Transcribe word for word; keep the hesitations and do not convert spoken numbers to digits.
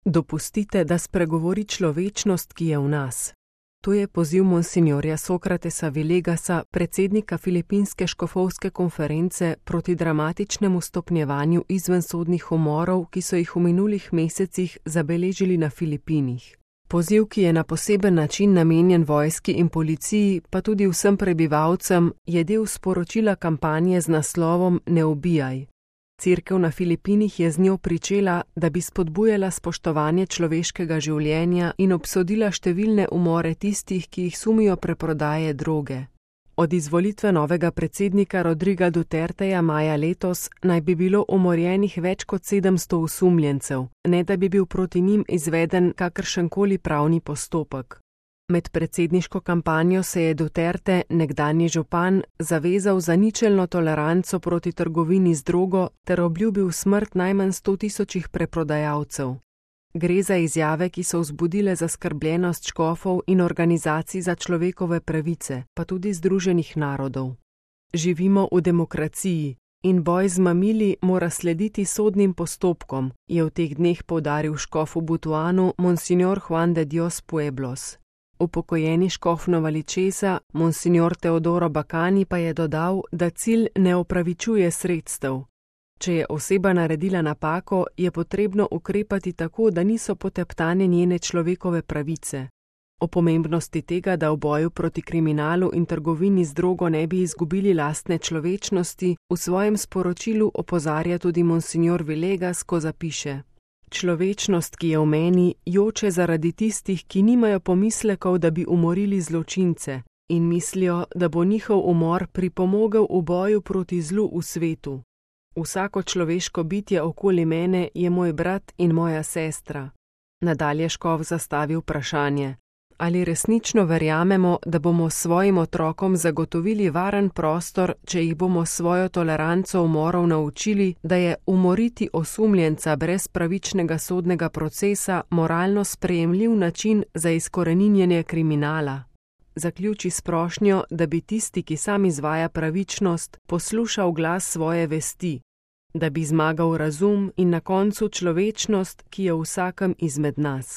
Dopustite, da spregovori človečnost, ki je v nas. To je poziv monsinjorja Sokratesa Vilegasa, predsednika Filipinske škofovske konference, proti dramatičnemu stopnjevanju izvensodnih umorov, ki so jih v minulih mesecih zabeležili na Filipinih. Poziv, ki je na poseben način namenjen vojski in policiji, pa tudi vsem prebivalcem, je del sporočila kampanje z naslovom Ne ubijaj. Cerkev na Filipinih je z njo pričela, da bi spodbujala spoštovanje človeškega življenja in obsodila številne umore tistih, ki jih sumijo preprodaje droge. Od izvolitve novega predsednika Rodriga Duterteja maja letos naj bi bilo umorjenih več kot sedemsto osumljencev, ne da bi bil proti njim izveden kakršenkoli pravni postopek. Med predsedniško kampanjo se je Duterte, nekdanji župan, zavezal za ničelno toleranco proti trgovini z drogo ter obljubil smrt najmanj sto tisočih preprodajalcev. Gre za izjave, ki so vzbudile zaskrbljenost škofov in organizacij za človekove pravice, pa tudi Združenih narodov. Živimo v demokraciji in boj z mamili mora slediti sodnim postopkom, je v teh dneh poudaril škof v Butuanu monsinjor Juan de Dios Pueblos. Upokojeni škof Novaličesa, monsinjor Teodoro Bacani, pa je dodal, da cilj ne opravičuje sredstev. Če je oseba naredila napako, je potrebno ukrepati tako, da niso poteptane njene človekove pravice. O pomembnosti tega, da v boju proti kriminalu in trgovini z drogo ne bi izgubili lastne človečnosti, v svojem sporočilu opozarja tudi monsinjor Vilegas, ko zapiše: Človečnost, ki je v meni, joče zaradi tistih, ki nimajo pomislekov, da bi umorili zločince in mislijo, da bo njihov umor pripomogel v boju proti zlu v svetu. Vsako človeško bitje okoli mene je moj brat in moja sestra. Nadalje škof zastavi vprašanje: ali resnično verjamemo, da bomo svojim otrokom zagotovili varen prostor, če jih bomo svojo toleranco umorov naučili, da je umoriti osumljenca brez pravičnega sodnega procesa moralno sprejemljiv način za izkoreninjenje kriminala? Zaključi s prošnjo, da bi tisti, ki sam izvaja pravičnost, poslušal glas svoje vesti, da bi zmagal razum in na koncu človečnost, ki je v vsakem izmed nas.